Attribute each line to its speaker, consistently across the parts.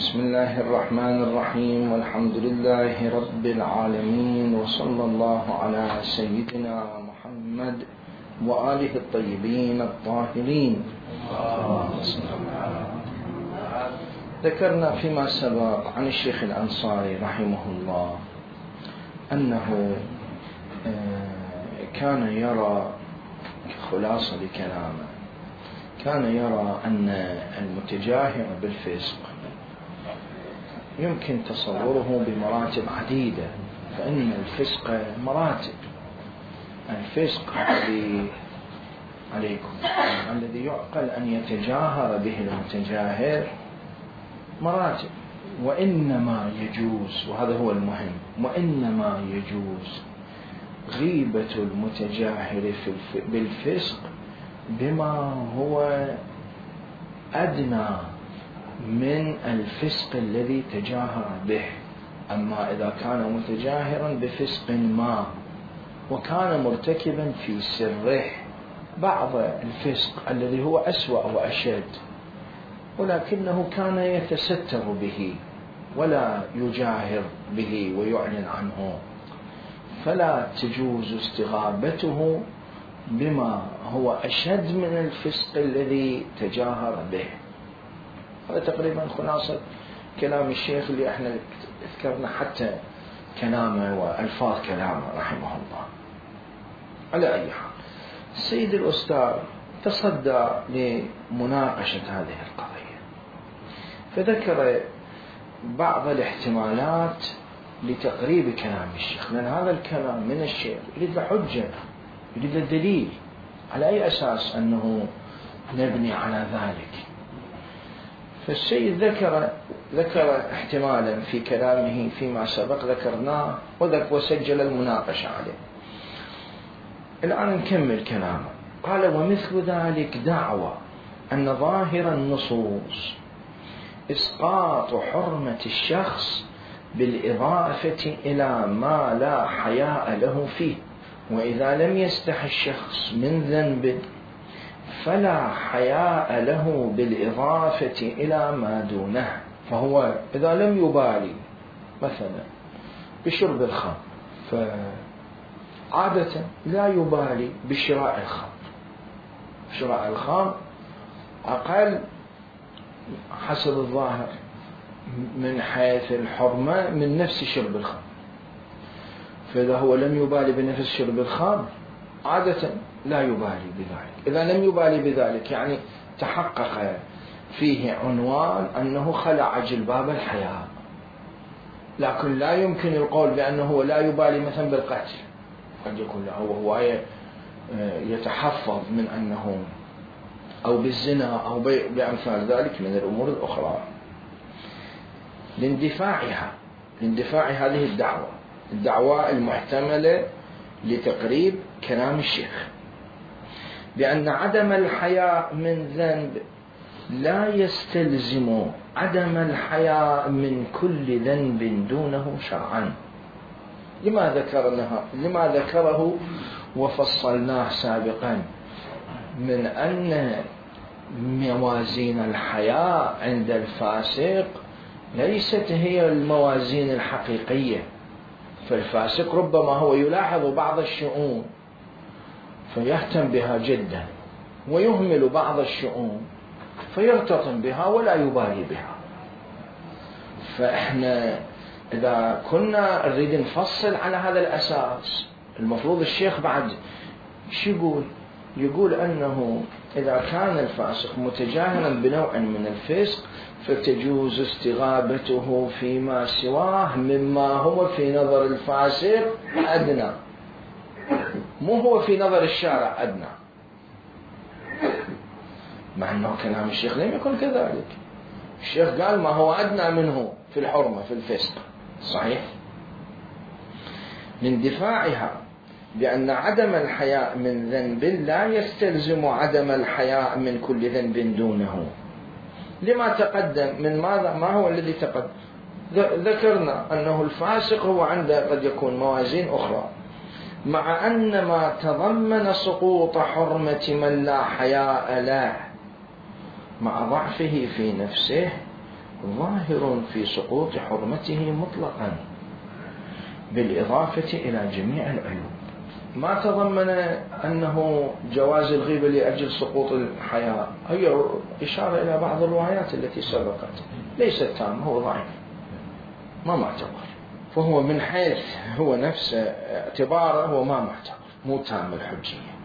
Speaker 1: بسم الله الرحمن الرحيم، والحمد لله رب العالمين، وصلى الله على سيدنا محمد وآله الطيبين الطاهرين. ذكرنا فيما سبق عن الشيخ الأنصاري رحمه الله أنه كان يرى، خلاصة لكلامه، كان يرى أن المتجاهر بالفسق يمكن تصوره بمراتب عديدة، فإن الفسق مراتب. الفسق الذي عليكم الذي يعقل أن يتجاهر به المتجاهر مراتب، وإنما يجوز، وهذا هو المهم، وإنما يجوز غيبة المتجاهر بالفسق بما هو أدنى من الفسق الذي تجاهر به. أما إذا كان متجاهرا بفسق ما وكان مرتكبا في سره بعض الفسق الذي هو أسوأ وأشد، ولكنه كان يتستر به ولا يجاهر به ويعلن عنه، فلا تجوز استغابته بما هو أشد من الفسق الذي تجاهر به. هذا تقريبا خلاصة كلام الشيخ اللي احنا ذكرنا حتى كلامه وألفاظ كلامه رحمه الله. على أي حال، السيد الأستاذ تصدى لمناقشة هذه القضية، فذكر بعض الاحتمالات لتقريب كلام الشيخ، لأن هذا الكلام من الشيخ يريد حجة، يريد دليل، على أي أساس أنه نبني على ذلك. فالسيد ذكر احتمالا في كلامه فيما سبق ذكرناه وسجل المناقشة عليه. الآن نكمل كلامه. قال: ومثل ذلك دعوى أن ظاهر النصوص إسقاط حرمة الشخص بالإضافة إلى ما لا حياء له فيه، وإذا لم يستح الشخص من ذنب فلا حياء له بالإضافة إلى ما دونه. فهو إذا لم يبالي مثلا بشرب الخمر، فعادة لا يبالي بشراء الخمر. شراء الخمر أقل حسب الظاهر من حيث الحرمة من نفس شرب الخمر، فإذا هو لم يبالي بنفس شرب الخمر عادة لا يبالي بذلك. إذا لم يبالي بذلك يعني تحقق فيه عنوان أنه خلع جلباب الحياء، لكن لا يمكن القول بأنه لا يبالي مثلا بالقتل، قد يكون له هو يتحفظ من أنه، أو بالزنا أو بأمثال ذلك من الأمور الأخرى. لاندفاع هذه الدعوة المحتملة لتقريب كلام الشيخ بأن عدم الحياء من ذنب لا يستلزم عدم الحياء من كل ذنب دونه شرعا، لما ذكره وفصلناه سابقا من أن موازين الحياء عند الفاسق ليست هي الموازين الحقيقية. فالفاسق ربما هو يلاحظ بعض الشؤون فيهتم بها جدا، ويهمل بعض الشؤون فيرتطم بها ولا يبالي بها. فإحنا إذا كنا نريد نفصل على هذا الأساس، المفروض الشيخ بعد شو يقول أنه إذا كان الفاسق متجاهلا بنوع من الفسق فتجوز استغابته فيما سواه مما هو في نظر الفاسق أدنى، مو هو في نظر الشارع أدنى، مع أنه كلام الشيخ لم يكن كذلك. الشيخ قال ما هو أدنى منه في الحرمة في الفسق، صحيح. لاندفاعها بأن عدم الحياء من ذنب لا يستلزم عدم الحياء من كل ذنب دونه. لما تقدم من ماذا؟ ما هو الذي تقدم؟ ذكرنا أنه الفاسق هو عنده قد يكون موازين أخرى، مع أن ما تضمن سقوط حرمة من لا حياء له مع ضعفه في نفسه ظاهر في سقوط حرمته مطلقا بالإضافة إلى جميع العيوب. ما تضمن أنه جواز الغيبة لأجل سقوط الحياء، هي إشارة إلى بعض الروايات التي سبقت، ليست تام، هو ضعيف ما معتبر، فهو من حيث هو نفسه اعتباره هو ما معتبر، مو تام الحجية.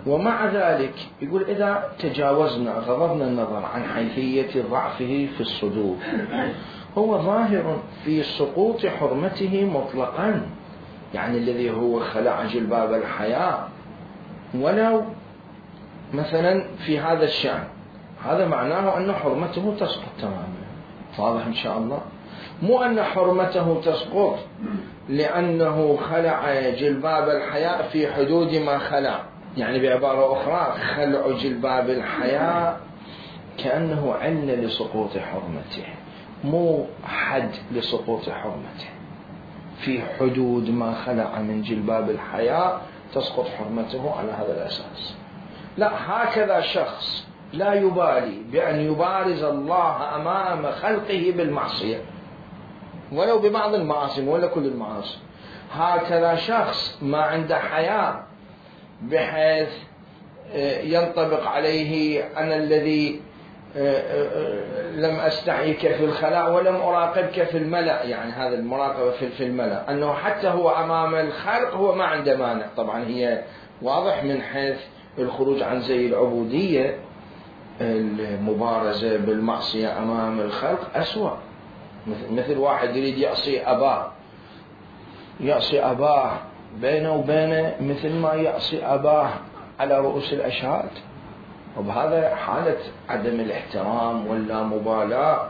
Speaker 1: ومع ذلك يقول إذا تجاوزنا غضبنا النظر عن حيثية ضعفه في الصدور، هو ظاهر في سقوط حرمته مطلقا، يعني الذي هو خلع جلباب الحياء ولو مثلا في هذا الشأن، هذا معناه أن حرمته تسقط تماما. واضح إن شاء الله؟ مو أن حرمته تسقط لأنه خلع جلباب الحياء في حدود ما خلع، يعني بعبارة أخرى خلع جلباب الحياء كأنه علة لسقوط حرمته، مو حد لسقوط حرمته. في حدود ما خلع من جلباب الحياء تسقط حرمته على هذا الأساس. لا، هكذا شخص لا يبالي بأن يبارز الله أمام خلقه بالمعصية ولو ببعض المعاصي ولا كل المعاصي، هكذا شخص ما عنده حياء بحيث ينطبق عليه أنا الذي لم أستحيك في الخلاء ولم أراقبك في الملأ، يعني هذا المراقبة في الملأ، أنه حتى هو أمام الخلق هو ما عنده مانع. طبعا هي واضح من حيث الخروج عن زي العبودية، المبارزة بالمعصية أمام الخلق أسوأ. مثل واحد يريد يعصي أباه بينه وبينه مثل ما يعصي أباه على رؤوس الأشهاد، وبهذا حالة عدم الاحترام ولا مبالاة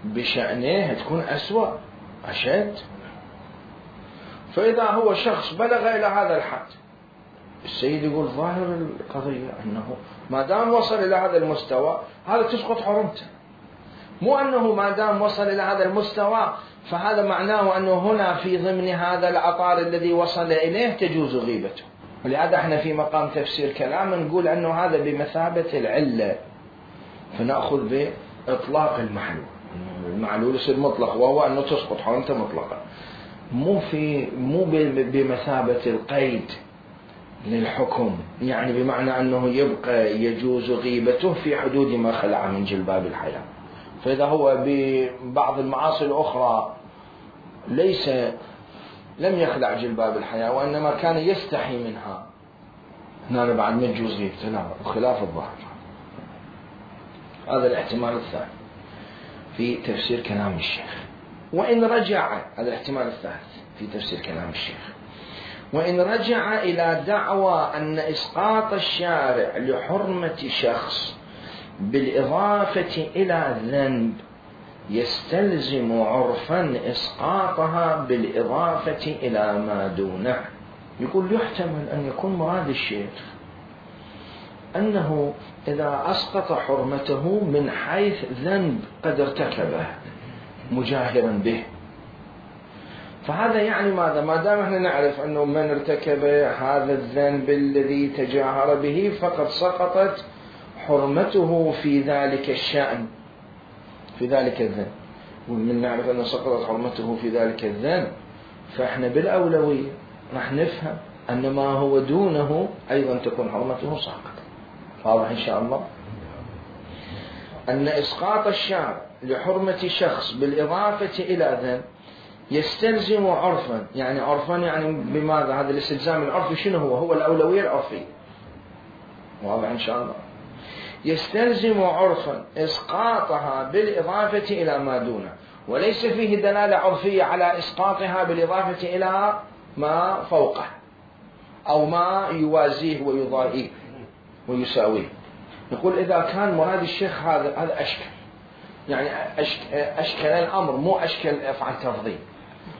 Speaker 1: بشأنه تكون أسوأ أشد. فإذا هو شخص بلغ إلى هذا الحد، السيد يقول ظاهر القضية أنه ما دام وصل إلى هذا المستوى هذا تسقط حرمته، مو أنه ما دام وصل إلى هذا المستوى فهذا معناه أنه هنا في ضمن هذا العطار الذي وصل إليه تجوز غيبته. ولهذا احنا في مقام تفسير كلام نقول أنه هذا بمثابة العلة، فنأخذ بإطلاق المعلول يصير مطلق، وهو أنه تسقط حرمته مطلقا، مو بمثابة القيد للحكم، يعني بمعنى أنه يبقى يجوز غيبته في حدود ما خلع من جلباب الحياة. فإذا هو ببعض المعاصي الأخرى لم يخلع جلباب الحياة وإنما كان يستحي منها، هنا بعد ما تجوز غيبته، لا، وخلاف الظاهر. هذا الاحتمال الثاني في تفسير كلام الشيخ. وإن رجع، هذا الاحتمال الثالث في تفسير كلام الشيخ، وإن رجع إلى دعوى أن إسقاط الشارع لحرمة شخص بالإضافة إلى ذنب يستلزم عرفا إسقاطها بالإضافة إلى ما دونه. يقول يحتمل أن يكون مراد الشيخ أنه إذا أسقط حرمته من حيث ذنب قد ارتكبه مجاهرا به، فهذا يعني ماذا؟ ما دام احنا نعرف أنه من ارتكب هذا الذنب الذي تجاهر به فقد سقطت حرمته في ذلك الشأن، في ذلك الذنب، ومن نعرف أنه سقطت حرمته في ذلك الذنب فإحنا بالأولوية راح نفهم أن ما هو دونه أيضا تكون حرمته ساقطة. واضح إن شاء الله؟ أن إسقاط الشارع لحرمة شخص بالإضافة إلى ذنب يستلزم عرفا، يعني عرفا يعني بماذا؟ هذا الاستلزام العرفي شنو هو الأولوية العرفية. واضح إن شاء الله؟ يستلزم عرفا إسقاطها بالإضافة إلى ما دونه، وليس فيه دلالة عرفية على إسقاطها بالإضافة إلى ما فوقه أو ما يوازيه ويضاهيه ويساويه. نقول إذا كان مراد الشيخ هذا أشكل، يعني أشكل الأمر، مو أشكل أفعل تفضيل،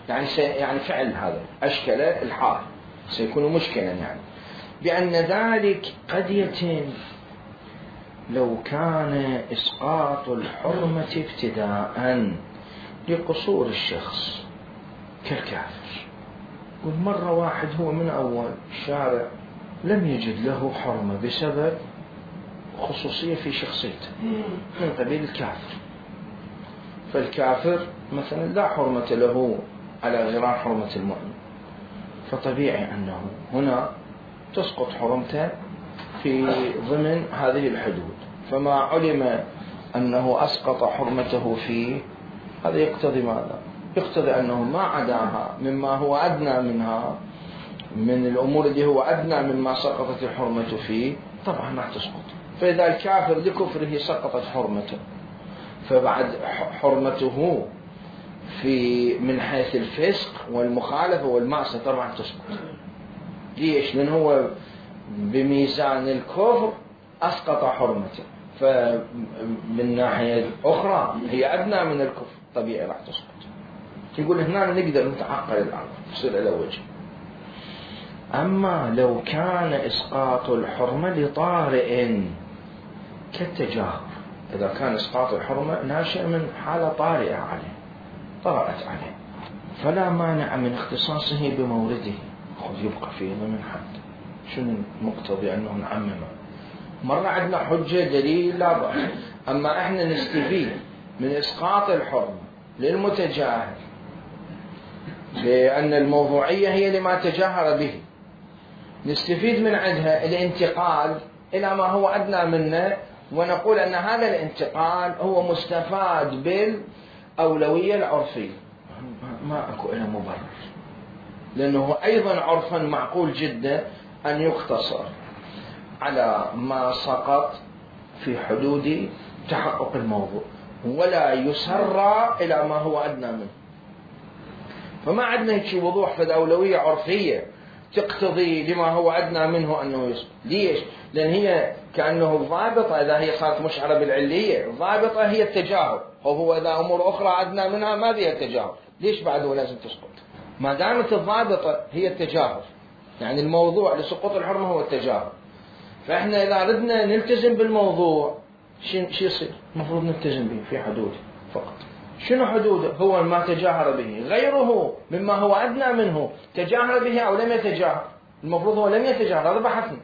Speaker 1: يعني فعل هذا أشكل الحال سيكون مشكلا، يعني بأن ذلك قد يتم لو كان إسقاط الحرمة ابتداء لقصور الشخص كالكافر، والمرة واحد هو من أول الشارع لم يجد له حرمة بسبب خصوصية في شخصيته من قبيل الكافر. فالكافر مثلا لا حرمة له على غرار حرمة المؤمن، فطبيعي أنه هنا تسقط حرمته في ضمن هذه الحدود. فما علم أنه أسقط حرمته فيه، هذا يقتضي ماذا؟ يقتضي أنه ما عداها مما هو أدنى منها، من الأمور اللي هو أدنى مما سقطت الحرمة فيه، طبعا ما تسقط. فإذا الكافر لكفره سقطت حرمته، فبعد حرمته في من حيث الفسق والمخالفة والمعصية طبعا تسقط. ليش؟ لأنه هو بميزان الكفر أسقط حرمته، فمن ناحية أخرى هي أدنى من الكفر، طبيعي راح تسقط. يقول هنا نقدر نتعقل الأمر يصير إلى وجه. أما لو كان إسقاط الحرمة لطارئ كالتجاهر، إذا كان إسقاط الحرمة ناشئ من حالة طارئة عليه، طرأت عليه، فلا مانع من اختصاصه بمورده. خذ يبقى فيه ضمن حد. شنو المقتضي أنه نعممه؟ مرة عندنا حجة دليل لا بأس. أما إحنا نستفيد من إسقاط الحرمة للمتجاهر لأن الموضوعية هي لما تجاهر به، نستفيد من عندها الانتقال إلى ما هو أدنى منه، ونقول أن هذا الانتقال هو مستفاد بالأولوية العرفية. ما أكو إلى مبرر، لأنه أيضا عرفا معقول جدا أن يقتصر على ما سقط في حدود تحقق الموضوع، ولا يسرى إلى ما هو أدنى منه. فما عندنا هيك وضوح في الأولوية عرفية تقتضي لما هو أدنى منه أنه يسقط. ليش؟ لأن هي كأنه الضابطة إذا هي صارت مشعرة بالعلية، الضابطة هي التجاهل، وهو إذا أمور أخرى أدنى منها ما فيها التجاهل، ليش بعده لازم تسقط؟ ما دامت الضابطة هي التجاهل، يعني الموضوع لسقوط الحرمة هو التجاهل. فإحنا إذا ردنا نلتزم بالموضوع شو يصير؟ المفروض نلتزم به في حدوده فقط. شنو حدوده؟ هو ما تجاهر به، غيره مما هو أدنى منه تجاهر به أو لم يتجاهر. المفروض هو لم يتجاهر، هذا بحثنا.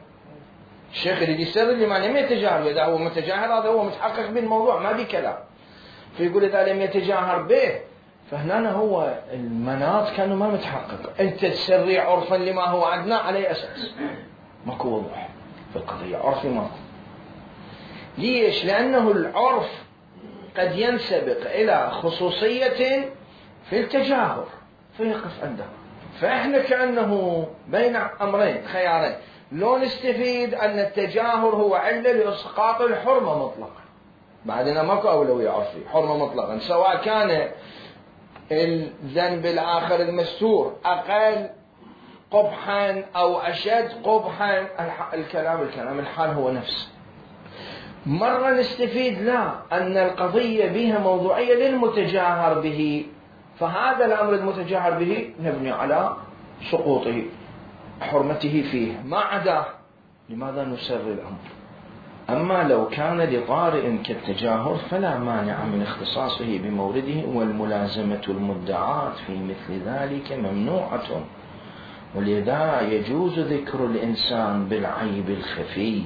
Speaker 1: الشيخ اللي يسرد لما لم يتجاهر، إذا هو متجاهر هذا هو متحقق بالموضوع ما بي كلام. فيقول إذا لم يتجاهر به، فهنا هو المناط كانوا ما متحقق. أنت تسري عرفا لما هو أدنى على أساس ماكو وضوح في القضية، عرفي ماكو. ليش؟ لأنه العرف قد ينسبق إلى خصوصية في التجاهر فيقف عنده. فإحنا كأنه بين أمرين خيارين، لو نستفيد أن التجاهر هو علة لإسقاط الحرمة مطلقا، بعدنا ماكو أولوية عرفي، حرمة مطلقا، سواء كان الذنب الآخر المستور أقل قبحا أو أشد قبحا، الكلام الحال هو نفسه. مرة نستفيد لا، أن القضية بها موضوعية للمتجاهر به، فهذا الأمر المتجاهر به نبني على سقوطه حرمته فيه، ما عداه لماذا نسر الأمر. أما لو كان لطارئ كالتجاهر فلا مانع من اختصاصه بمورده، والملازمة المدعاة في مثل ذلك ممنوعة، ولذا يجوز ذكر الإنسان بالعيب الخفي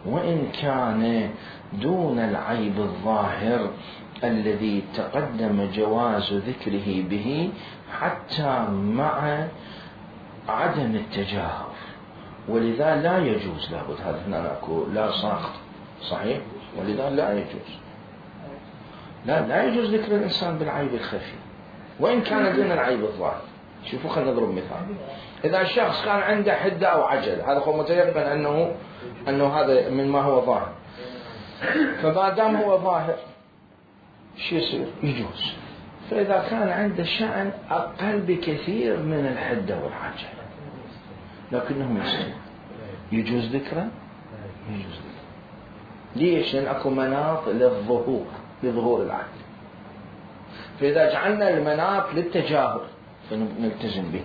Speaker 1: وإن كان دون العيب الظاهر الذي تقدم جواز ذكره به، حتى مع عدم التجاهر. ولذا لا يجوز، لابد هذا هنا أكو لا ساقط صحيح، ولذا لا يجوز، لا يجوز ذكر الإنسان بالعيب الخفي وإن كان دون العيب الظاهر. شوفوا خلينا نضرب مثال. إذا الشخص كان عنده حدة أو عجل، هذا هو متيقن أنه هذا من ما هو ظاهر، فما دام هو ظاهر شو يصير؟ يجوز. فإذا كان عنده شأن أقل بكثير من الحدة والعجل لكنه يستوى، يجوز ذكره؟ يجوز ذكره. ليش؟ لأن أكو مناط لظهور العدل. فإذا جعلنا المناط للتجاهر فنلتزم به.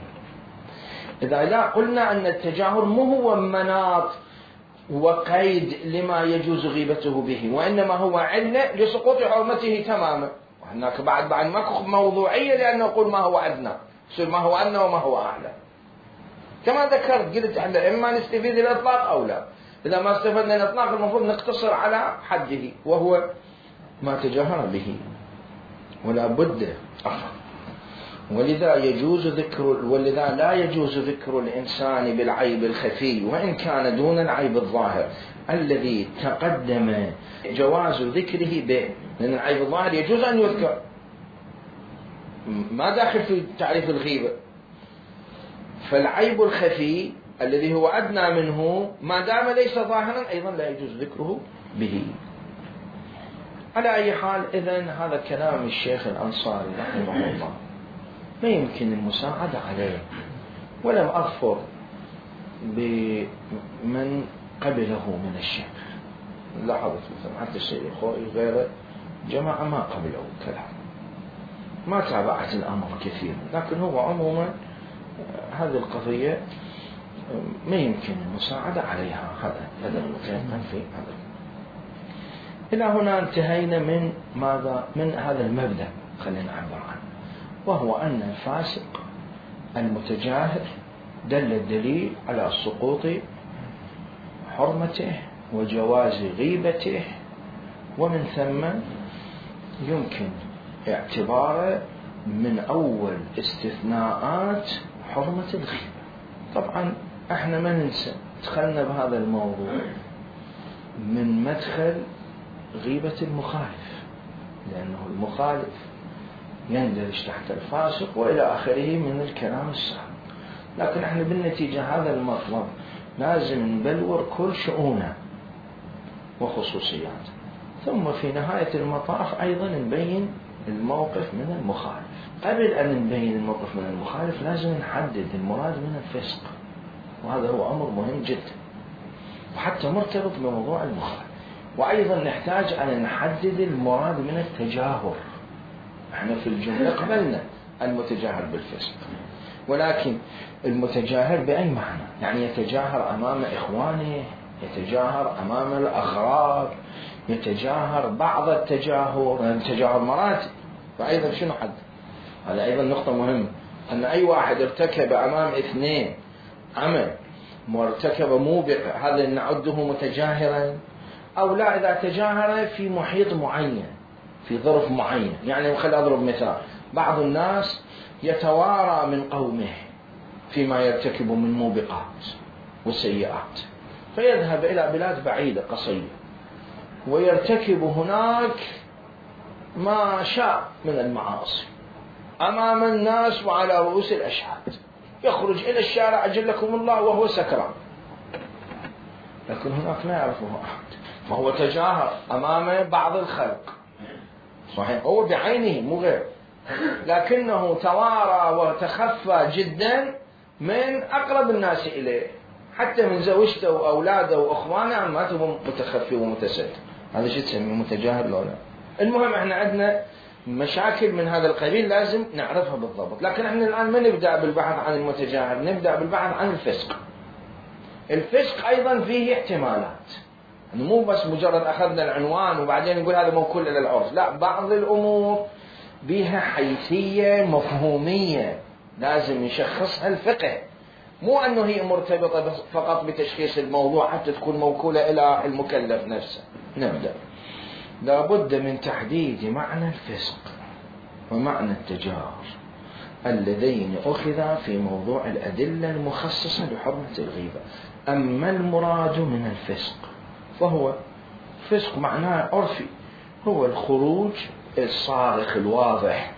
Speaker 1: إذا لا قلنا أن التجاهر مو هو مناط وقيد لما يجوز غيبته به، وإنما هو علة لسقوط حرمته تماما. وهناك بعد ماكو موضوعية، لأنه نقول ما هو أدنى، يصير ما هو أدنى وما هو أعلى. كما ذكرت قلت احنا إما نستفيد الإطلاق أو لا. إذا ما استفدنا الإطلاق المفروض نقتصر على حده وهو ما تجاهر به، ولا بد ولذا لا يجوز ذكر الإنسان بالعيب الخفي وإن كان دون العيب الظاهر الذي تقدم جواز ذكره به، لأن العيب الظاهر يجوز أن يذكر، ما داخل في تعريف الغيبة. فالعيب الخفي الذي هو أدنى منه ما دام ليس ظاهرا أيضا لا يجوز ذكره به. على أي حال، إذن هذا كلام الشيخ الأنصاري رحمه الله ما يمكن المساعدة عليه، ولم أظفر بمن قبله من الشيخ. لاحظت مثلا حتى السيد الخوئي غيره جماعة ما قبلوا كلام، ما تابعت الأمر كثير، لكن هو عموما هذه القضية ما يمكن المساعدة عليها، هذا المتيقن في هذا. إلى هنا انتهينا من ماذا؟ من هذا المبدأ خلينا نعبر عنه، وهو أن الفاسق المتجاهر دل الدليل على سقوط حرمته وجواز غيبته، ومن ثم يمكن اعتباره من أول استثناءات حرمة الغيبة. طبعا احنا ما ننسى دخلنا بهذا الموضوع من مدخل غيبة المخالف، لأنه المخالف يندرج تحت الفاسق وإلى آخره من الكلام السابق، لكن احنا بالنتيجة هذا المطلب لازم نبلور كل شؤونه وخصوصياته، ثم في نهاية المطاف أيضا نبين الموقف من المخالف. قبل أن نبين الموقف من المخالف لازم نحدد المراد من الفسق، وهذا هو أمر مهم جدا وحتى مرتبط بموضوع المخالف. وأيضا نحتاج أن نحدد المراد من التجاهر. احنا في الجملة قبلنا المتجاهر بالفسق، ولكن المتجاهر بأي معنى؟ يعني يتجاهر أمام إخوانه، يتجاهر أمام الأغراب، يتجاهر بعض التجاهر مراتب. فأيضا شنو حد؟ هذا أيضا نقطة مهمة، أن أي واحد ارتكب أمام اثنين عمل وارتكب موبقة هذا نعده متجاهرا أو لا؟ إذا تجاهر في محيط معين في ظرف معين، يعني خلي أضرب مثال، بعض الناس يتوارى من قومه فيما يرتكب من موبقات وسيئات، فيذهب إلى بلاد بعيدة قصيرة ويرتكب هناك ما شاء من المعاصي أمام الناس وعلى رؤوس الأشهاد، يخرج إلى الشارع أجلكم الله وهو سكران، لكن هناك لا يعرفه أحد، فهو تجاهر أمام بعض الخلق صحيح، هو بعينه مو غير، لكنه توارى وتخفى جدا من أقرب الناس إليه، حتى من زوجته وأولاده وأخوانه ما تبقى متخفي ومتستر. هذا شيء تسميه متجاهر لو لا؟ المهم احنا عندنا مشاكل من هذا القبيل لازم نعرفها بالضبط، لكن احنا الآن ما نبدأ بالبحث عن المتجاهر، نبدأ بالبحث عن الفسق. الفسق أيضا فيه احتمالات، مو بس مجرد أخذنا العنوان وبعدين نقول هذا موكول إلى العرف، لا، بعض الأمور بها حيثية مفهومية لازم يشخصها الفقه، مو أنه هي مرتبطة فقط بتشخيص الموضوع حتى تكون موكولة إلى المكلف نفسه. نبدأ، لابد من تحديد معنى الفسق ومعنى التجاهر اللذين أخذا في موضوع الأدلة المخصصة لحرمة الغيبة. أما المراد من الفسق فهو فسق معناه عرفي، هو الخروج الصارخ الواضح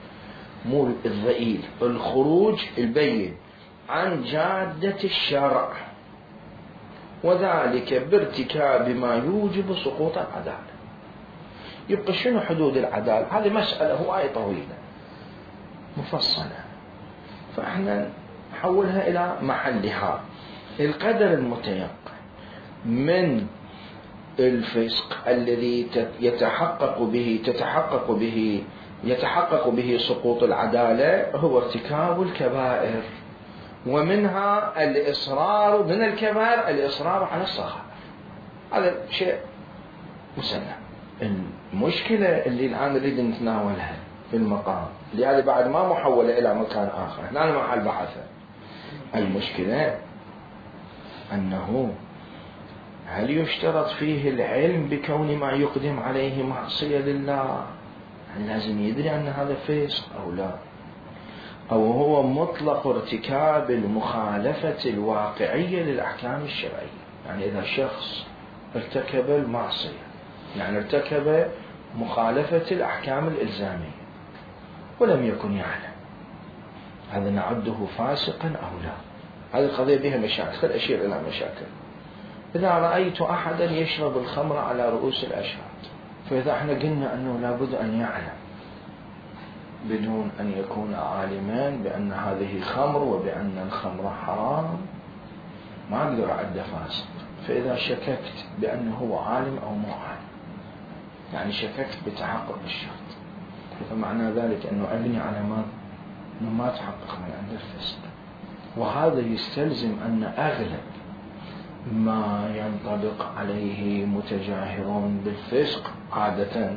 Speaker 1: مو الضئيل، الخروج البين عن جادة الشرع، وذلك بارتكاب ما يوجب سقوط العدالة. يبقى شنو حدود العدالة؟ هذه مسألة هواية طويلة مفصلة، فإحنا نحولها إلى محلها. القدر المتيقن من الفسق الذي يتحقق به سقوط العدالة هو ارتكاب الكبائر، ومنها الإصرار من الكبائر الإصرار على الصغائر، هذا شيء مسلم. المشكلة اللي الآن نريد نتناولها في المقام لهذا بعد ما محولة إلى مكان آخر، هنا محل بحثه. المشكلة أنه هل يشترط فيه العلم بكون ما يقدم عليه معصية لله؟ هل لازم يدري أن هذا فسق أو لا؟ أو هو مطلق ارتكاب المخالفة الواقعية للأحكام الشرعية؟ يعني إذا شخص ارتكب المعصية، يعني ارتكب مخالفة الأحكام الإلزامية ولم يكن يعلم، هذا نعده فاسقا أو لا؟ هذه القضية بها مشاكل، أشير إلى مشاكل. إذا رأيت أحدا يشرب الخمر على رؤوس الأشهاد، فإذا احنا قلنا أنه لابد أن يعلم بدون أن يكون عالمان بأن هذه خمر وبأن الخمر حرام، ما أقدر أعد فاسق. فإذا شككت بأنه هو عالم أو مو عالم، يعني شككت بتحقق الشرط، فمعنى ذلك أنه أبني على أنه ما تحقق من عند الفسق. وهذا يستلزم أن أغلب ما ينطبق عليه متجاهرون بالفسق عادة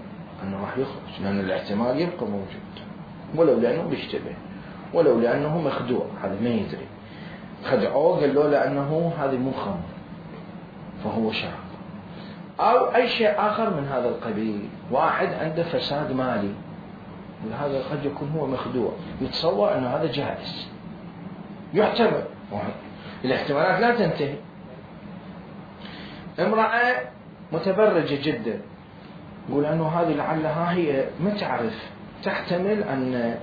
Speaker 1: أنه راح يخرج، لأن الاحتمال يبقى موجود، ولو لأنه بيشتبه، ولو لأنه مخدوع، هذا ما يدري، خدعوه قال له لأنه هذه مو خمر فهو شرب، أو أي شيء آخر من هذا القبيل. واحد عنده فساد مالي، وهذا قد يكون هو مخدوع، يتصور أنه هذا جائز، يحتمل، الاحتمالات لا تنتهي. امرأة متبرجة جدا، يقول أنه هذه لعلها هي ما تعرف، تحتمل أن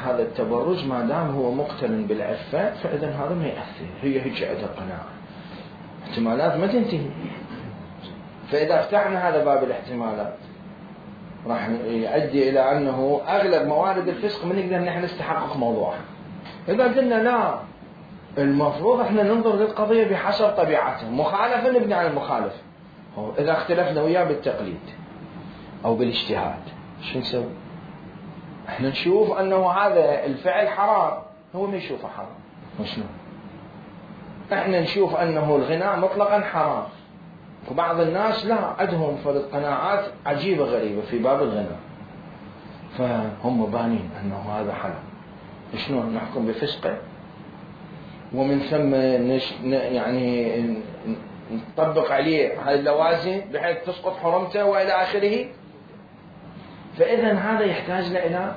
Speaker 1: هذا التبرج ما دام هو مقترن بالعفة فإذا هذا ما يأثر، هي هيك عندها قناعة، احتمالات ما تنتهي. فإذا فتحنا هذا باب الاحتمالات راح يؤدي إلى أنه أغلب موارد الفسق من نقدر نحن نستحقق موضوعها. إذا قلنا لا، المفروض احنا ننظر للقضية بحسب طبيعتها، مخالفة نبني على المخالف. إذا اختلفنا وياه بالتقليد أو بالاجتهاد شو نسوي؟ احنا نشوف أنه هذا الفعل حرام، هو ما يشوفه حرام، وشنو؟ احنا نشوف أنه الغناء مطلقا حرام، وبعض الناس لا، عندهم فرض قناعات عجيبة غريبة في باب الغناء، فهم بانين أنه هذا حرام. شنو نحكم بفسقه؟ ومن ثم يعني نطبق عليه هذه اللوازم بحيث تسقط حرمته وإلى آخره. فإذا هذا يحتاج إلى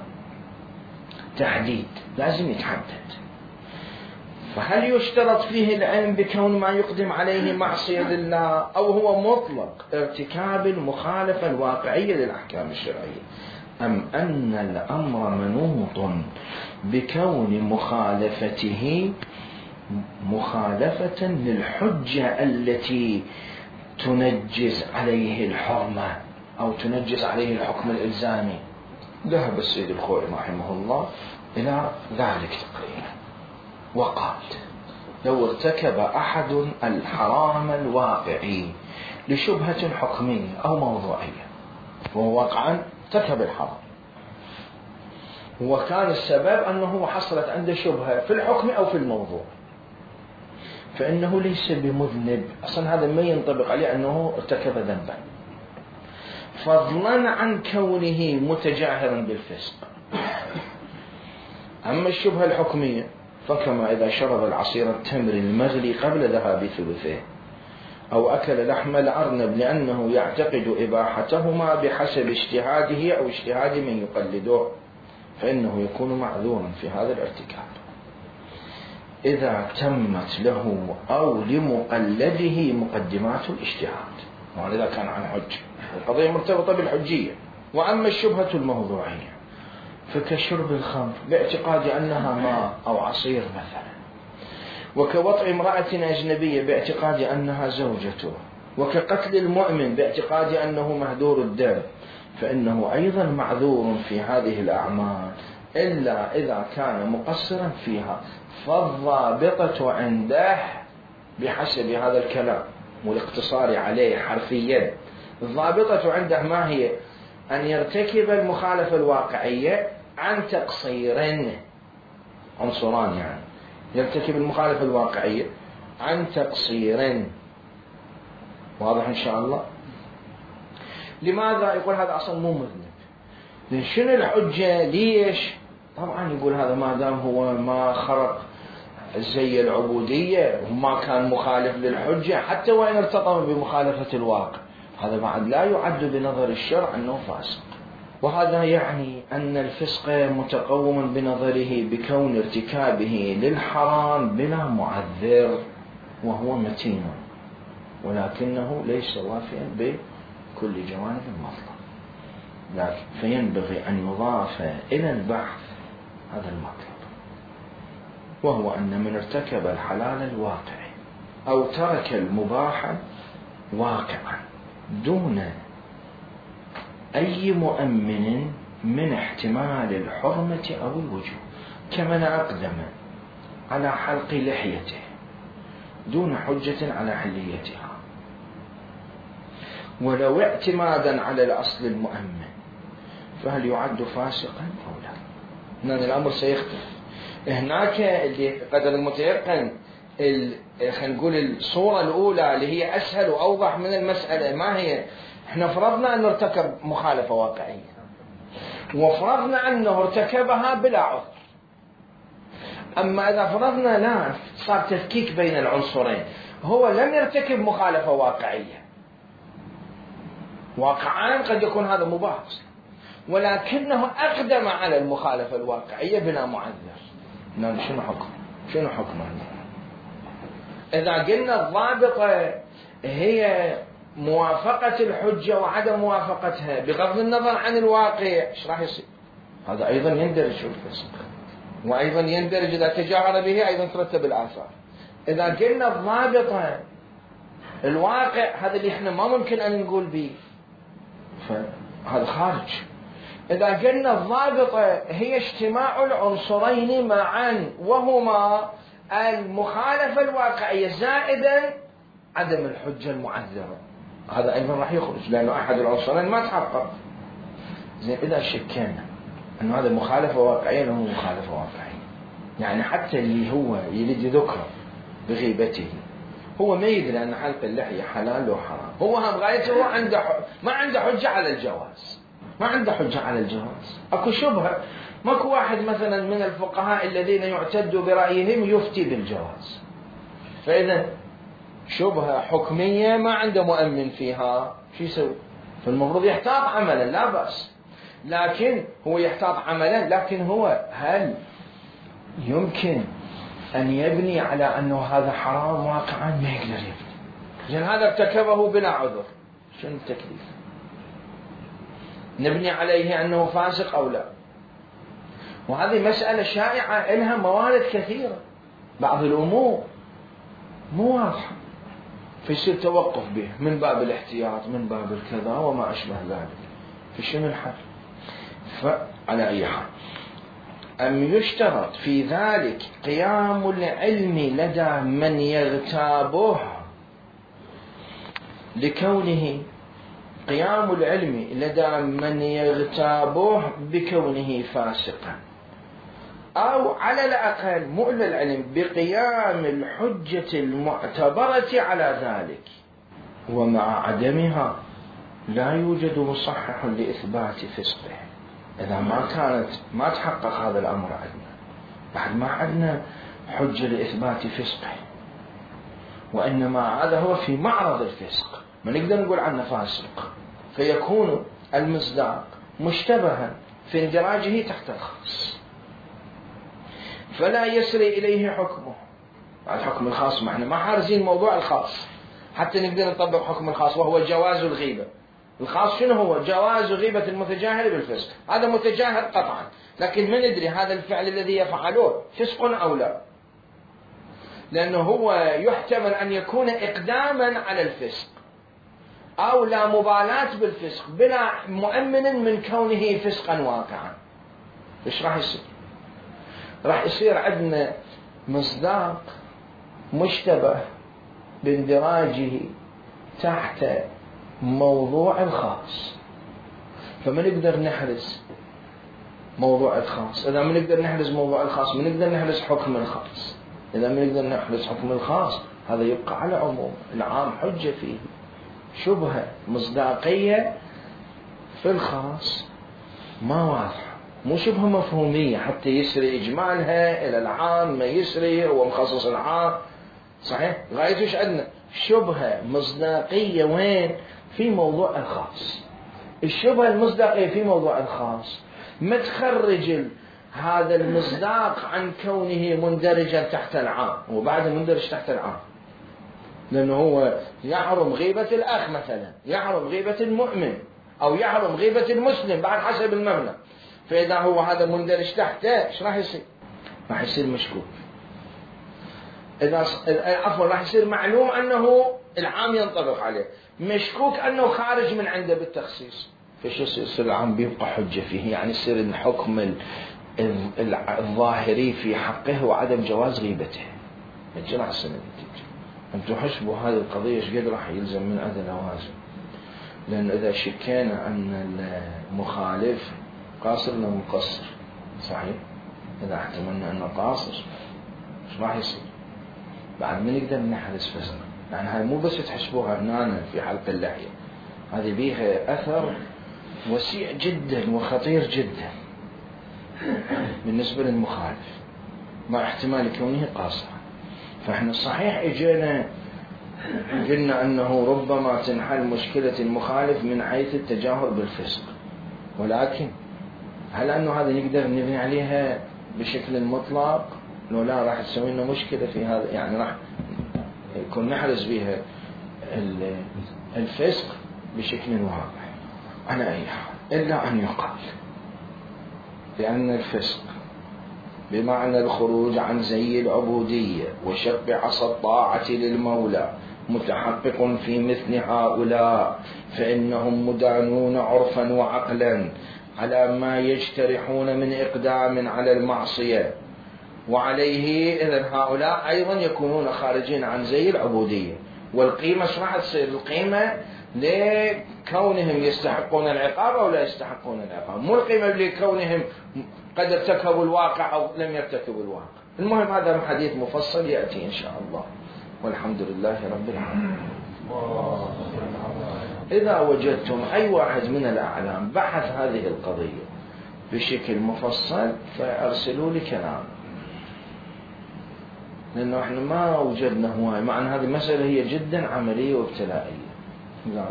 Speaker 1: تحديد، لازم يتحدد. فهل يشترط فيه العلم بكون ما يقدم عليه معصية لله، أو هو مطلق ارتكاب المخالفة الواقعية للأحكام الشرعية، أم أن الأمر منوط بكون مخالفته مخالفة للحجة التي تنجز عليه الحرمة أو تنجز عليه الحكم الإلزامي؟ ذهب السيد الخوئي رحمه الله إلى ذلك تقريبا، وقال لو ارتكب أحد الحرام الواقعي لشبهة حكمية أو موضوعية، وهو واقعا ارتكب الحرام وكان السبب أنه حصلت عنده شبهة في الحكم أو في الموضوع، فإنه ليس بمذنب أصلا، هذا ما ينطبق عليه أنه ارتكب ذنبا، فضلا عن كونه متجاهرا بالفسق. أما الشبهة الحكمية فكما إذا شرب العصير التمر المغلي قبل ذهاب ثلثه، أو أكل لحم الأرنب لأنه يعتقد إباحتهما بحسب اجتهاده أو اجتهاد من يقلده، فإنه يكون معذورا في هذا الارتكاب إذا تمت له أو لمقلده مقدمات الاجتهاد، وإذا كان عن حج، القضية مرتبطة بالحجية. وأما الشبهة الموضوعية فكشرب الخمر باعتقاد أنها ماء أو عصير مثلا، وكوطئ امرأة أجنبية باعتقاد أنها زوجته، وكقتل المؤمن باعتقاد أنه مهدور الدم، فإنه أيضا معذور في هذه الأعمال إلا إذا كان مقصرا فيها. فالضابطة عنده بحسب هذا الكلام والاقتصار عليه حرفيا، الضابطة عنده ما هي؟ أن يرتكب المخالفة الواقعية عن تقصير، عنصران يعني، يرتكب المخالفة الواقعية عن تقصير. واضح إن شاء الله؟ لماذا يقول هذا أصلا مو مذنب؟ شنو الحجة؟ ليش؟ طبعا يقول هذا ما دام هو ما خرق زي العبودية وما كان مخالف للحجة حتى وإن ارتطم بمخالفة الواقع، هذا بعد لا يعد بنظر الشرع أنه فاسق. وهذا يعني أن الفسق متقوم بنظره بكون ارتكابه للحرام بلا معذر، وهو متين ولكنه ليس وافيا بكل جوانب المطلب، لكن فينبغي أن يضاف إلى البحث هذا المطلب، وهو أن من ارتكب الحلال الواقعي أو ترك المباح واقعا دون أي مؤمن من احتمال الحرمة أو الوجوب، كمن أقدم على حلق لحيته دون حجة على حليتها ولو اعتمادا على الأصل المؤمن، فهل يعد فاسقا أو لا؟ هنا الأمر سيختلف. هناك اللي قدر المتيقن خلينا نقول الصورة الأولى اللي هي أسهل وأوضح من المسألة، ما هي؟ احنا فرضنا أنه ارتكب مخالفة واقعية وفرضنا أنه ارتكبها بلا عذر. أما إذا فرضنا لا، صار تفكيك بين العنصرين، هو لم يرتكب مخالفة واقعية، واقعان قد يكون هذا مباح ولكنه أقدم على المخالفة الواقعية بلا معذر. نعم، شنو حكمه؟ إذا قلنا الضابطة هي موافقة الحجة وعدم موافقتها بغض النظر عن الواقع، ايش راح يصير؟ هذا أيضا يندرج في الفسق، وأيضا يندرج إذا تجاهر به أيضا ترتب الآثار. إذا قلنا الضابطة الواقع، هذا اللي احنا ما ممكن أن نقول به، فهذا خارج. إذا قلنا الضابطة هي اجتماع العنصرين معا وهما المخالفة الواقعية زائدا عدم الحجة المعذرة، هذا أيضا راح يخرج لأنه أحد العنصرين ما تحقق. زين، إذا شكينا أنه هذا مخالفة واقعية أنه مخالفة واقعية، يعني حتى اللي هو يريد ذكر بغيبته هو ما يدري أن حلق اللحية حلال وحرام، هو هم غايته ما عنده حجة على الجواز، ما عنده حجة على الجواز، أكو شبهة. ماكو واحد مثلا من الفقهاء الذين يعتد برأيهم يفتي بالجواز، فإذا شبهة حكمية ما عنده مؤمن فيها، شو يسوي؟ فالمفروض يحتاط عملا، لا بأس، لكن هو يحتاط عملا، لكن هو هل يمكن أن يبني على أنه هذا حرام واقعا؟ ما يقدر يبني. لأن هذا ارتكبه بلا عذر، شنو التكليف؟ نبني عليه أنه فاسق أو لا؟ وهذه مسألة شائعة لها موارد كثيرة، بعض الأمور مو واضحة فيصير توقف به من باب الاحتياط، من باب الكذا وما أشبه ذلك، فشنو الحل؟ فعلى أي حال، أم يشترط في ذلك قيام العلم لدى من يغتابه، لكونه قيام العلم لدى من يغتابه بكونه فاسقا، أو على الأقل مؤل العلم بقيام الحجة المعتبرة على ذلك، ومع عدمها لا يوجد مصحح لإثبات فسقه. إذا ما تحقق هذا الأمر عندنا، بعد ما عندنا حجة لإثبات فسقه، وإنما هذا هو في معرض الفسق، ما نقدر نقول عنه فاسق، فيكون المصداق مشتبها في اندراجه تحت الخاص، فلا يسري إليه حكمه. بعد حكم الخاص ما احنا ما حارزين موضوع الخاص حتى نقدر نطبق حكم الخاص، وهو جواز الغيبة. الخاص شنو هو؟ جواز غيبة المتجاهل بالفسق، هذا متجاهل قطعا، لكن ما ندري هذا الفعل الذي يفعله فسق أو لا، لأنه هو يحتمل أن يكون إقداما على الفسق أو لا مبالاة بالفسق بلا مؤمن من كونه فسقا واقعا. إيش راح يصير؟ راح يصير عندنا مصداق مشتبه باندراجه تحت موضوع الخاص، فما نقدر نحرز موضوع الخاص. إذا ما نقدر نحرز موضوع الخاص، ما نقدر نحرز حكم الخاص. إذا ما نقدر نحرز حكم الخاص، هذا يبقى على عموم العام حجة فيه، شبهة مصداقية في الخاص ما واضحة، مو شبهة مفهومية حتى يسري إجمالها إلى العام، ما يسري هو مخصص العام، صحيح؟ غايته إيش عندنا؟ شبهة مصداقية وين؟ في موضوع الخاص. الشبهة المصداقية في موضوع الخاص ما تخرج هذا المصداق عن كونه مندرجا تحت العام، وبعد مندرج تحت العام، لأنه هو يحرم غيبة الأخ مثلا، يحرم غيبة المؤمن، أو يحرم غيبة المسلم بعد حسب المبنى. فإذا هو هذا مندرج تحته إيش راح يصير؟ راح يصير مشكوك. عفوا راح يصير معلوم أنه العام ينطبق عليه، مشكوك أنه خارج من عنده بالتخصيص. فش يصير العام بيبقى حجة فيه، يعني يصير الحكم الظاهري في حقه وعدم جواز غيبته. ايش راح يصير النتيجة؟ انتم حسبوا هذه القضية ايش قد راح يلزم من عدم لوازم. لأن إذا شكينا أن المخالف قاصر ولا مقصر، صحيح؟ إذا احتملنا أنه قاصر ايش راح يصير؟ بعد ما نقدر نحرز فسق. يعني هاي مو بس تحسبوها هنا في حلق اللحية، هذه بيها أثر وسيع جدا وخطير جدا بالنسبة للمخالف مع احتمال كونه قاصرا. فإحنا صحيح إجينا قلنا أنه ربما تنحل مشكلة المخالف من حيث التجاهر بالفسق، ولكن هل أنه هذا نقدر نبني عليها بشكل مطلق؟ لو لا راح تسوي لنا مشكلة في هذا، يعني راح يكون نحرز بها الفسق بشكل واضح على أي حال، إلا أن يقال بأن الفسق بمعنى الخروج عن زي العبودية وشق عصا الطاعة للمولى متحقق في مثل هؤلاء، فإنهم مدانون عرفا وعقلا على ما يجترحون من إقدام على المعصية، وعليه إذن هؤلاء أيضا يكونون خارجين عن زي العبودية. والقيمة شو راح تصير؟ القيمة لكونهم يستحقون العقاب أو لا يستحقون العقاب، مو القيمة لكونهم قد ارتكبوا الواقع أو لم يرتكبوا الواقع. المهم هذا حديث مفصل يأتي إن شاء الله، والحمد لله رب العالمين. إذا وجدتم أي واحد من الأعلام بحث هذه القضية بشكل مفصل فأرسلوا لي كلام، لأنه إحنا ما وجدنا هواي، مع أن هذه مسألة هي جدا عملية وابتلائية.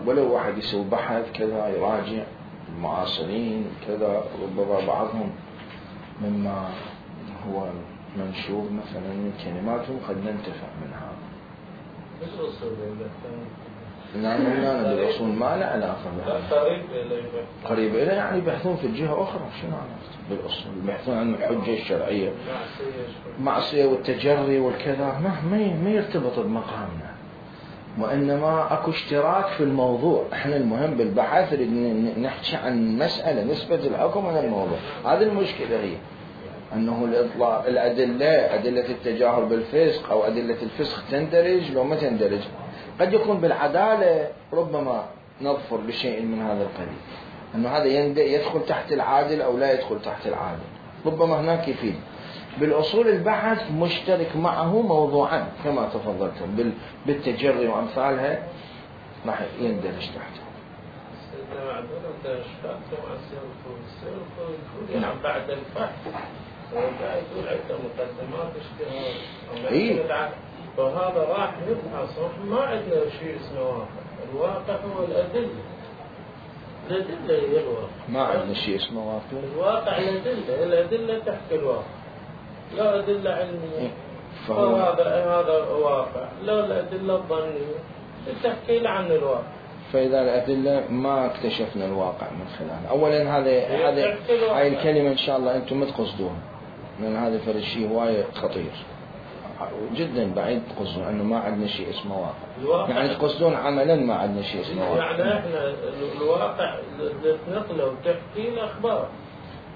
Speaker 1: ولو واحد يسوي بحث كذا يراجع المعاصرين كذا، ربما بعضهم مما هو منشور مثلا من كلماتهم قد ننتفع من هذا. نعم، أنا بالأصول ما له علاقة بهذا، قريب إليه يعني يبحثون في الجهة أخرى. شنو علاقة بالأصول؟ يبحثون عن الحجة الشرعية، معصية والتجري والكذا، ما يرتبط بمقامنا، وإنما أكو اشتراك في الموضوع. إحنا المهم بالبحث نحكي عن مسألة نسبة الحكم على الموضوع. هذه المشكلة هي أنه الإطلاق الأدلة، أدلة التجاهر بالفسق أو أدلة الفسق تندرج لو ما تندرج. قد يكون بالعدالة ربما نظفر بشيء من هذا القبيل، أنه هذا يدخل تحت العادل أو لا يدخل تحت العادل، ربما هناك يفيد. بالأصول البحث مشترك معه موضوعا كما تفضلتم بالتجري وأمثالها راح يندرج تحته.
Speaker 2: نعم. بعد البحث يقول عدة مقدمات اشتراك،
Speaker 1: إيه؟
Speaker 2: فهذا راح نبحث، ما عندنا شيء اسمه واقع. الواقع هو الأدلة هي الواقع،
Speaker 1: ما عندنا شيء اسمه واقع.
Speaker 2: الواقع الأدلة تحكي الواقع، لا أدلة علمية هذا واقع، لا الأدلة الظنية تحكي عن الواقع.
Speaker 1: فإذا الأدلة ما اكتشفنا الواقع من خلال، أولا هاي الكلمة إن شاء الله أنتم ما تقصدون، لأن هذا فرق شيء وايد خطير جدا، بعيد تقصدون أنه ما عندنا شيء اسمه واقع، يعني تقصدون عملا ما عندنا شيء اسمه واقع.
Speaker 2: يعني احنا الواقع نقله وتحكي الأخبار.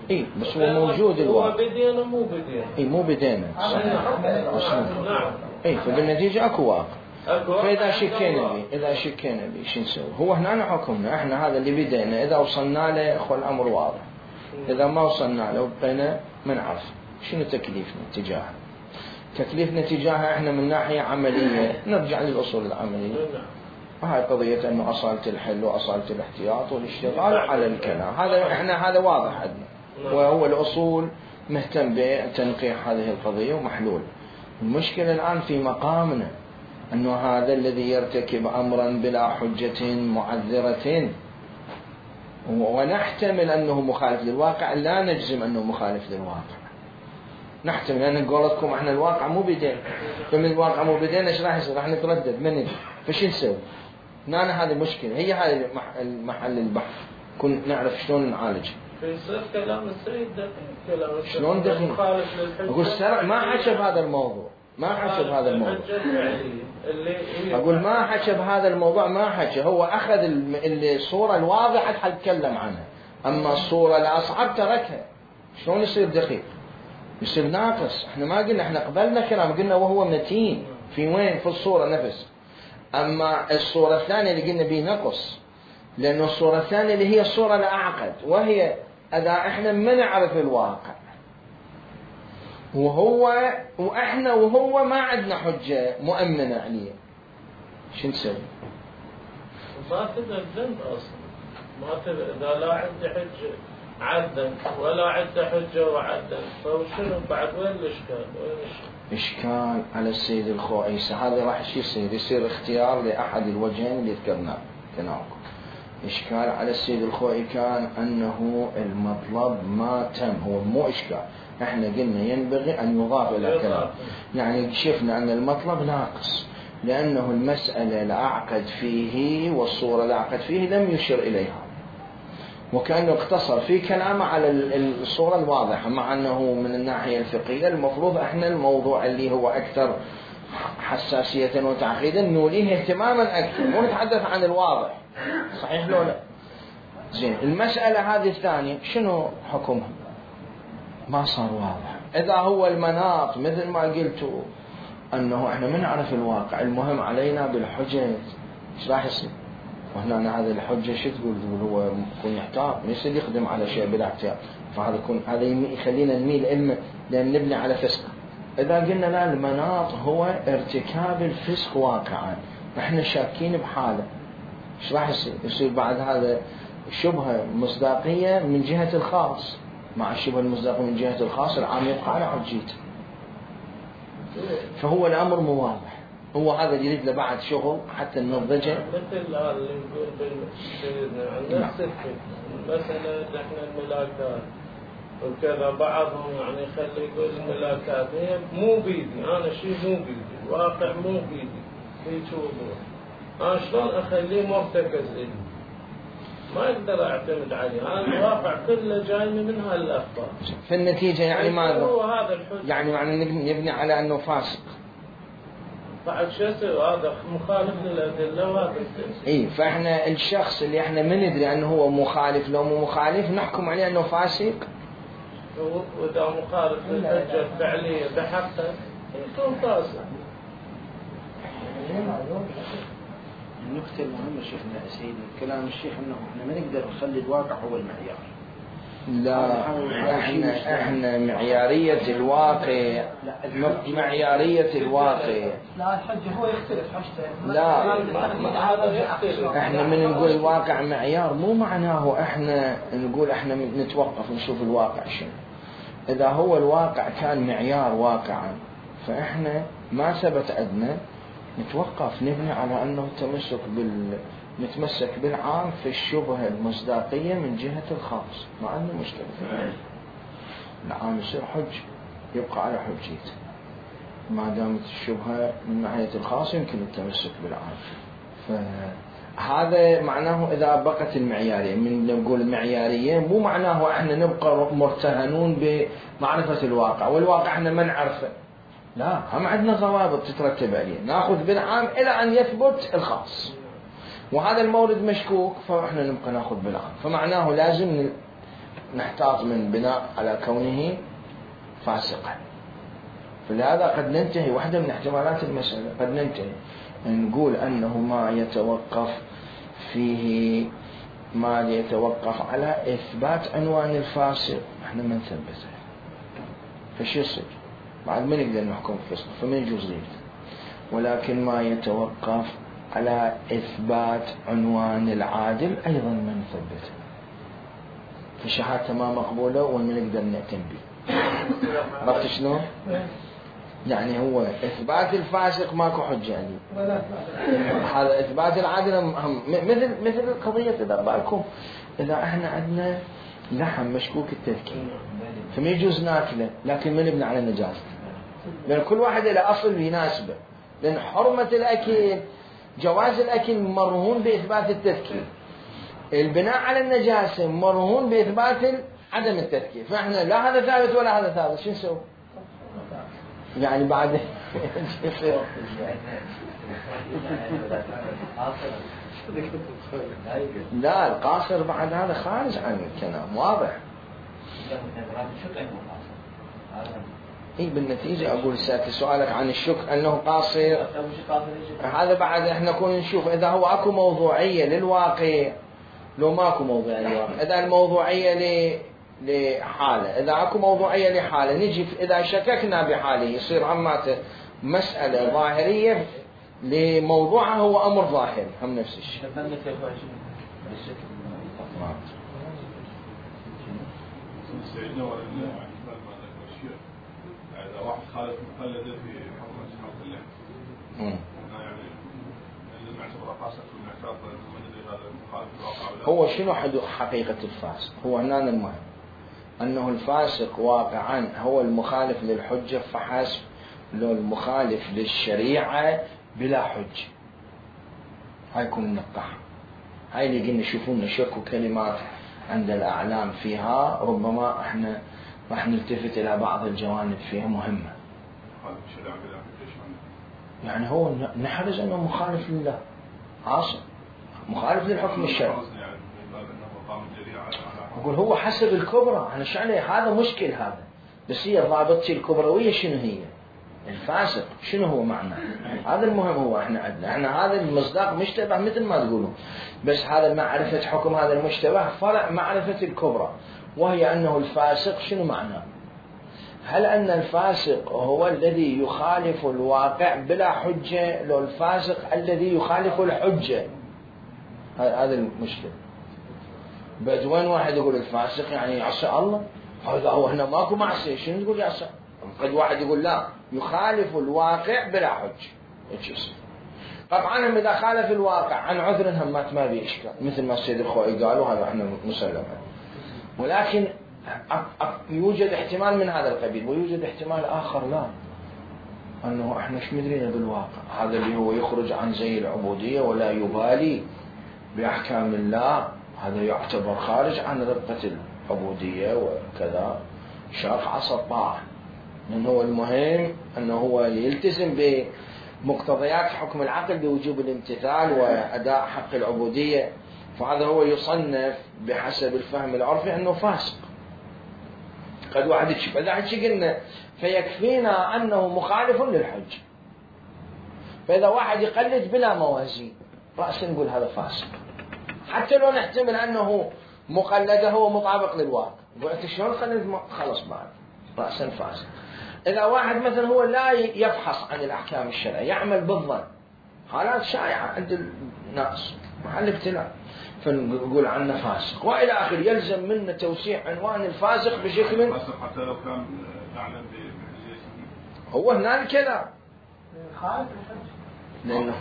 Speaker 1: إيه بس هو موجود الواقع.
Speaker 2: هو بدينا مو بدينا.
Speaker 1: إيه مو بدينا.
Speaker 2: نعم.
Speaker 1: إيه فبالنتيجة أكو واقع. فإذا شكينا به شو نسوي؟ هو هنا حكمنا احنا هذا اللي بدينا، إذا وصلنا له أخو الأمر واضح، إذا ما وصلنا له بقينا منعرف شنو تكليفنا تجاهه. تكليفنا تجاهه احنا من ناحية عملية نرجع للأصول العملية. هاي قضية أنه أصالة الحل وأصالة الاحتياط والاشتغال على الكلام، هذا واضح عندنا. وهو الأصول مهتم بتنقيح هذه القضية ومحلول. المشكلة الآن في مقامنا أنه هذا الذي يرتكب أمرا بلا حجة معذرة ونحتمل أنه مخالف للواقع، لا نجزم أنه مخالف للواقع، نحتمل أن قولتكم احنا الواقع مو بدين، فمن الواقع مو بدين ايش راح يصير؟ راح نتردد من ندري، فش نسوي؟ هذه مشكلة، هي هذه المحل البحث، كن نعرف شلون نعالج.
Speaker 2: فيصير كلام السيد دقيق، كلام
Speaker 1: شلون دقيق؟ أقول الشرع ما حكى بهذا الموضوع، ما حكى بهذا الموضوع. أقول ما حكى بهذا الموضوع، ما حكى، هو أخذ الصورة الواضحة حيتكلم عنها، أما الصورة الأصعب تركها. شلون يصير دقيق؟ يصير ناقص. احنا ما قلنا، احنا قبلنا كلام قلنا وهو متين في وين؟ في الصورة نفس. أما الصورة الثانية اللي قلنا به نقص، لأن الصورة الثانية اللي هي الصورة الأعقد، وهي إذا احنا ما نعرف الواقع وإحنا وهو ما عندنا حجة مؤمنة عليه، شو نسوي؟
Speaker 2: ما تبقى الذنب أصلا، ما تبقى إذا لا عندي حجة عدم ولا عندي حجة وعدم، فشنو بعد؟ وين الإشكال؟
Speaker 1: إشكال على السيد الخوئيسي. هذا راح يصير اختيار لأحد الوجهين اللي ذكرناه تناوكم. إشكال على السيد الخوئي كان أنه المطلب ما تم، هو مو إشكال، احنا قلنا ينبغي أن يضاف إلى كلام، يعني شفنا أن المطلب ناقص لأنه المسألة الأعقد فيه والصورة الأعقد فيه لم يشر إليها، وكأنه اقتصر في كلامه على الصورة الواضحة، مع أنه من الناحية الفقهية المفروض احنا الموضوع اللي هو أكثر حساسية وتعقيدا نوليه اهتماما أكثر، ونتحدث عن الواضح، صحيح لو لا؟ زين، المسألة هذه الثانية شنو حكمها؟ ما صار واضح. إذا هو المناط مثل ما قلتوا أنه احنا ما نعرف الواقع، المهم علينا بالحجة، ايش راح يصير؟ وهنا هذا الحجة شو تقول هو يكون يحتاط، ما يصير يخدم على شيء بلا احتياط، هذا يخلينا نميل علمه لأن نبني على فسق. إذا قلنا لا، المناط هو ارتكاب الفسق واقعا، احنا شاكين بحاله، ايش راح يصير؟ يصير بعد هذا شبهة مصداقية من جهة الخاص، مع الشبهة المصداقية من جهة الخاص العام يبقى على حجيته. فهو الأمر مو واضح، هو هذا اللي يريد له بعد شغل حتى ننضجه.
Speaker 2: مثل اللي نقول بالسيدنا نفس المسألة احنا الملاكات وكذا، بعضهم يعني يخلي يقول الملاكات هي مو بيدي، أنا شيء مو بيدي، الواقع مو بيدي، في وضوح، أنا شلون أخليه مرتكز لي؟ ما أقدر أعتمد عليه، أنا الواقع كله جايني من هالأخبار.
Speaker 1: في النتيجة يعني ماذا؟
Speaker 2: هو هذا الحجة،
Speaker 1: يعني معنى نبني على أنه فاسق.
Speaker 2: بعد شو يصير؟ هذا مخالف للأدلة وهذا
Speaker 1: إيه، فإحنا الشخص اللي إحنا ما ندري أنه هو مخالف لو مو مخالف نحكم عليه أنه فاسق.
Speaker 2: وإذا مخالف للحجة الفعلية بحقه يكون فاسق.
Speaker 1: النقطة المهمة شيخنا سيدي كلام الشيخ أنه إحنا ما نقدر نخلي الواقع هو المعيار. لا، احنا معيارية الواقع، معيارية الواقع.
Speaker 3: لا، الحجة هو يختلف حجته.
Speaker 1: لا، احنا من نقول الواقع معيار مو معناه احنا نقول احنا نتوقف نشوف الواقع شنو. اذا هو الواقع كان معيار واقعا فاحنا ما ثبت عندنا نتوقف، نبني على انه نتمسك بالعام في الشبهة المصداقية من جهة الخاص، ما عندنا مشكلة فيها. العام يصير حج يبقى على حجيته، ما دامت الشبهة من ناحية الخاص يمكن التمسك بالعام. فهذا معناه إذا بقت المعيارية، من نقول المعيارية مو معناه احنا نبقى مرتهنون بمعرفة الواقع، والواقع احنا ما نعرفه، لا، هم عندنا ضوابط تترتب عليه، ناخذ بالعام إلى أن يثبت الخاص، وهذا المورد مشكوك فإحنا نبقى ناخذ بالعام، فمعناه لازم نحتاط من بناء على كونه فاسقا. فلهذا قد ننتهي، واحدة من احتمالات المسألة قد ننتهي نقول أنه ما يتوقف على إثبات عنوان الفاسق، احنا ما نثبته، فشو يصير؟ بعد ما نقدر نحكم فسق فما يجوز غيبته، ولكن ما يتوقف على إثبات عنوان العادل أيضا ما نثبته. فشهادته ما مقبولة وما نقدر نأتم به. عرفت شنو؟ يعني هو إثبات الفاسق ماكو حجة يعني. هذا إثبات العادل هم مثل قضية إذا بالكم إذا إحنا عندنا لحم مشكوك التذكير فما يجوز ناكله لكن ما نبني على النجاسة، لأن كل واحد له أصل يناسبه، لأن حرمة الأكل جواز الأكل مرهون بإثبات التذكير، البناء على النجاسة مرهون بإثبات عدم التذكير، فإحنا لا هذا ثابت ولا هذا ثابت، شو نسوي؟ يعني بعد لا القاصر بعد هذا خارج عن الكلام واضح. بالنتيجة أقول سؤالك عن الشك أنه قاصر، هذا بعد إحنا كنا نشوف إذا هو أكو موضوعية للواقع لو ماكو موضوعية للواقع. إذا الموضوعية لحالة، إذا أكو موضوعية لحالة نجي إذا شككنا بحاله يصير عماته مسألة ظاهرية لموضوعها هو أمر ظاهري هم نفس الشيء.
Speaker 4: سيدنا ولله احتمال ما ذكر الشيخ إذا واحد خالف مقلدة في حكم أصحاب اللحم يعني لازم نعتبره فاسق ونعتبر من هذا المخالف الواقع.
Speaker 1: هو شنو حقيقة الفاسق؟ هو هنا المهم أنه الفاسق واقعا هو المخالف للحجة فحسب، لو المخالف للشريعة بلا حجة. هاي يكون النقاح، هاي اللي قلنا شوفونا شكوا كلمات عند الأعلام فيها ربما احنا راح نلتفت إلى بعض الجوانب فيها مهمة. يعني هو نحرز أنه مخالف لله عاصم، مخالف للحكم الشرعي. أقول هو حسب الكبرى، أنا شعني هذا مشكل هذا، بس هي ضابطتي الكبروية شنو هي؟ الفاسق شنو هو معناه؟ هذا المهم. هو احنا عندنا احنا هذا المصداق مشتبه مثل ما تقولون، بس هذا معرفة حكم هذا المشتبه فرع معرفة الكبرى، وهي أنه الفاسق شنو معناه؟ هل أن الفاسق هو الذي يخالف الواقع بلا حجة، لو الفاسق الذي يخالف الحجة؟ هذا المشكلة. بدوين واحد يقول الفاسق يعني يعصي الله، هذا هو هنا ماكو معصية، شنو تقول يعصي؟ قد واحد يقول لا يخالف الواقع بلا حجة. طبعا هم إذا خالف الواقع عن عذر هم ما في إشكال، مثل ما السيد الخوئي قالوا هذا احنا مسلم، ولكن يوجد احتمال من هذا القبيل، ويوجد احتمال آخر لا، أنه احنا ايش مدرينا بالواقع، هذا اللي هو يخرج عن زي العبودية ولا يبالي بأحكام الله، هذا يعتبر خارج عن رقة العبودية وكذا، شاق عصا الطاعة، لأنه هو المهم أنه هو يلتزم بمقتضيات حكم العقل بوجوب الامتثال وأداء حق العبودية، فهذا هو يصنف بحسب الفهم العرفي أنه فاسق. قد واحد يشوف إذا قلنا فيكفينا أنه مخالف للحج، فإذا واحد يقلد بلا موازين رأسا نقول هذا فاسق، حتى لو نحتمل أنه مقلده هو مطابق للواقع، قلت شلون قلد خلص بعد رأسا فاسق. إذا واحد مثلا هو لا يفحص عن الأحكام الشرعية يعمل بالظن، حالات شائعة عند الناس محل ابتلاء، فنقول عنه فاسق وإلى آخر. يلزم منه توسيع عنوان الفاسق بشكل
Speaker 4: حتى لو كان نعلم
Speaker 1: هو هنا الكلام، لأنه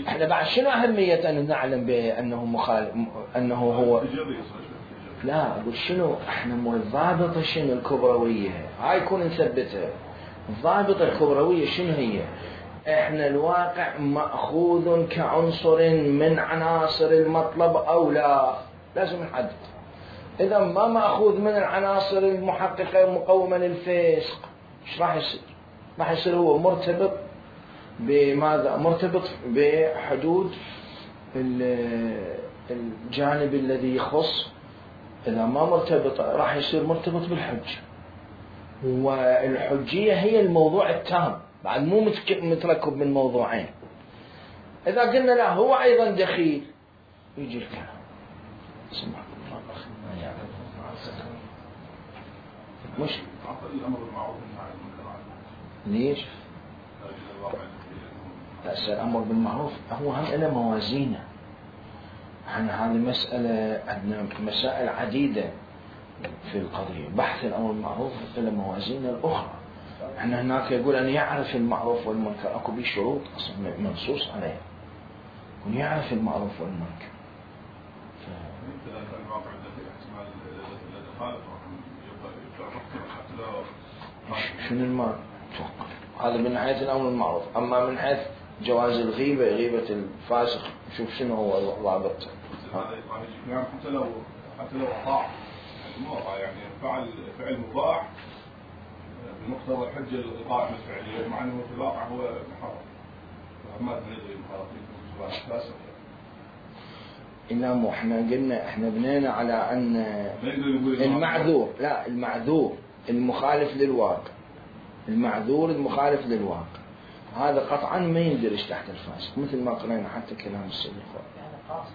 Speaker 1: احنا بعد شنو أهمية أن نعلم بأنه مخالف، أنه هو لا أقول شنو احنا مو الضابطة شنو الكبروية، هاي يكون نثبتها. الضابطة الكبروية شنو هي؟ احنا الواقع مأخوذ كعنصر من عناصر المطلب أو لا، لازم نحدد. إذا ما مأخوذ من العناصر المحققة مقومة للفسق، ايش راح يصير؟ راح يصير هو مرتبط بماذا؟ مرتبط بحدود الجانب الذي يخص. إذا ما مرتبط راح يصير مرتبط بالحج، والحجية هي الموضوع التام بعد مو متركب من موضوعين. إذا قلنا لا هو أيضا دخيل يجي الكلام. سمعكم الله مش
Speaker 4: الأمر بالمعروف والنهي عن المنكر
Speaker 1: ليش؟ الأمر بالمعروف هو هم له موازينه، احنا هذه مسألة، عندنا مسائل عديدة في القضية. بحث الأمر بالمعروف إلى موازين الأخرى. احنا هناك يقول أن يعرف المعروف والمنكر، أكو بيه شروط أصلا منصوص عليها، يكون يعرف المعروف والمنكر. شنو المال؟ هذا من حيث الأمر المعروف. أما من حيث جواز الغيبة، غيبة الفاسق، شوف شنو هو ضابطه.
Speaker 4: يعني حتى لو أطاع، يعني فعل مباح بمقتضى الحجة القائمة الفعلية، مع أنه في الواقع هو محرم. فما ندري محرم فاسق.
Speaker 1: إنما احنا قلنا، احنا بنينا على أن المعذور، لا المعذور المخالف للواقع، المعذور المخالف للواقع هذا قطعا ما يندرج تحت الفاسق، مثل ما قرأنا حتى كلام السيد الخوي.
Speaker 3: يعني قاصد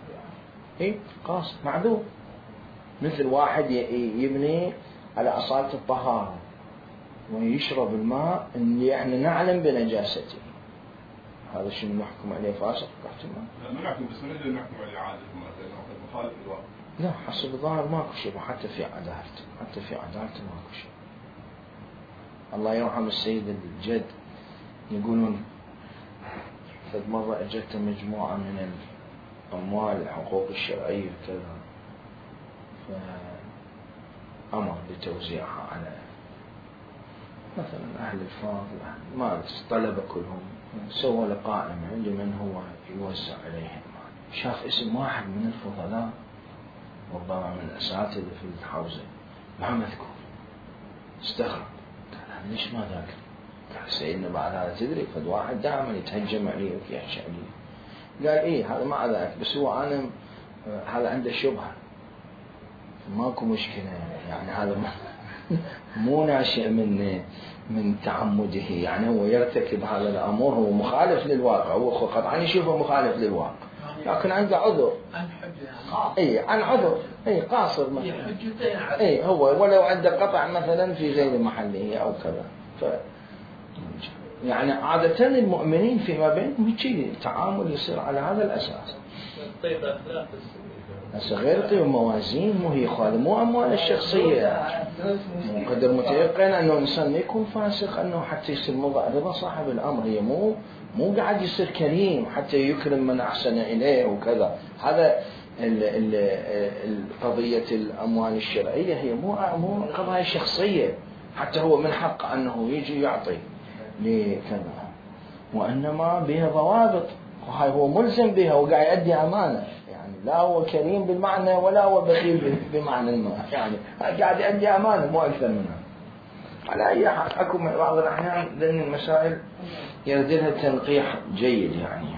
Speaker 1: إيه قاصد معذور، مثل واحد يبني على أصالة الطهارة ويشرب الماء اللي احنا نعلم بنجاسته، هذا شنو نحكم عليه فاسق؟
Speaker 4: لا ما نحكم، بس ما نقدر نحكم عليه عادة مخالف للواقع.
Speaker 1: لا حسب الظاهر ماكو شيء، حتى في عدالته، حتى في عدالته ماكو شيء. الله يرحم السيد الجد، يقولون فد مرة اجت مجموعة من الأموال الحقوق الشرعية كذا، فأمر بتوزيعها على مثلا أهل الفاضل، ما طلب كلهم، سوى لقائمة لمن هو يوزع عليهم المال. شاف اسم واحد من الفضلاء ربما من الأساتذة في الحوزة ما مذكور، استغرب، قال ليش ما ذاك؟ قال سيدنا بعد هذا تدري فد واحد دائما يتهجم علي ويحشى علي. قال إيه هذا ما ذاك، بس هو أنا هذا عنده شبهة، ماكو مشكلة، يعني هذا مو ناشئ من تعمده، يعني هو يرتكب هذا الأمر، هو مخالف للواقع، هو قطعا يشوفه مخالف للواقع، لكن عنده عذر.
Speaker 3: عن حجة
Speaker 1: اي عن عذر، اي قاصر مثلا، اي هو ولو عنده قطع مثلا في غير محله او كذا. يعني عادة المؤمنين فيما بينهم هيك التعامل يصير على هذا الأساس. هسه غير طيب موازين، مو هي خالي، مو أموال الشخصية. مو قدر متيقن أنه الإنسان ما يكون فاسق أنه حتى يصير رضا صاحب الأمر، هي مو قاعد يصير كريم حتى يكرم من أحسن إليه وكذا. هذا قضية الأموال الشرعية هي مو قضايا شخصية، حتى هو من حق أنه يجي يعطي لكذا، وإنما بها ضوابط، وهاي هو ملزم بها وقاعد يؤدي أمانة، يعني لا هو كريم بالمعنى ولا هو بخيل بمعنى الماء، يعني قاعد يؤدي أمانة مو أكثر منها. على أي حال أكو بعض الأحيان لأن المسائل يردلها تنقيح جيد يعني.